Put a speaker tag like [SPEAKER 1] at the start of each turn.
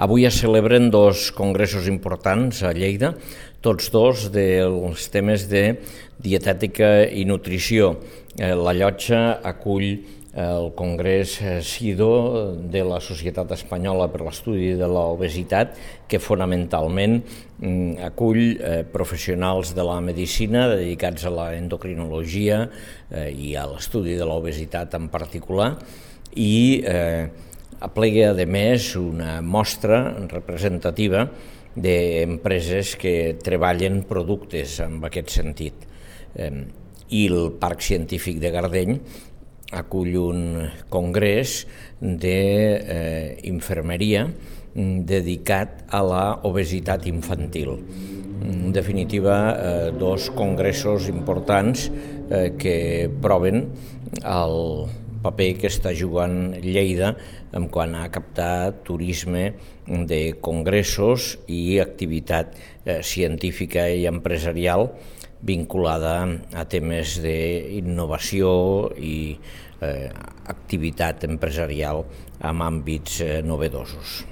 [SPEAKER 1] Avui es celebren dos congressos importants a Lleida, tots dos dels temes de dietètica i nutrició. La Llotja acull el Congrés SIDO de la Societat Espanyola per l'Estudi de l'Obesitat, que fonamentalment acull professionals de la medicina dedicats a l'endocrinologia i a l'estudi de l'obesitat en particular, i aplega, a més, una mostra representativa d'empreses que treballen productes en aquest sentit. I el Parc Científic de Gardeny acull un congrés d'infermeria dedicat a l'obesitat infantil. En definitiva, dos congressos importants que proven el paper que està jugant Lleida en quant a captar turisme de congressos i activitat científica i empresarial vinculada a temes d'innovació i activitat empresarial en àmbits novedosos.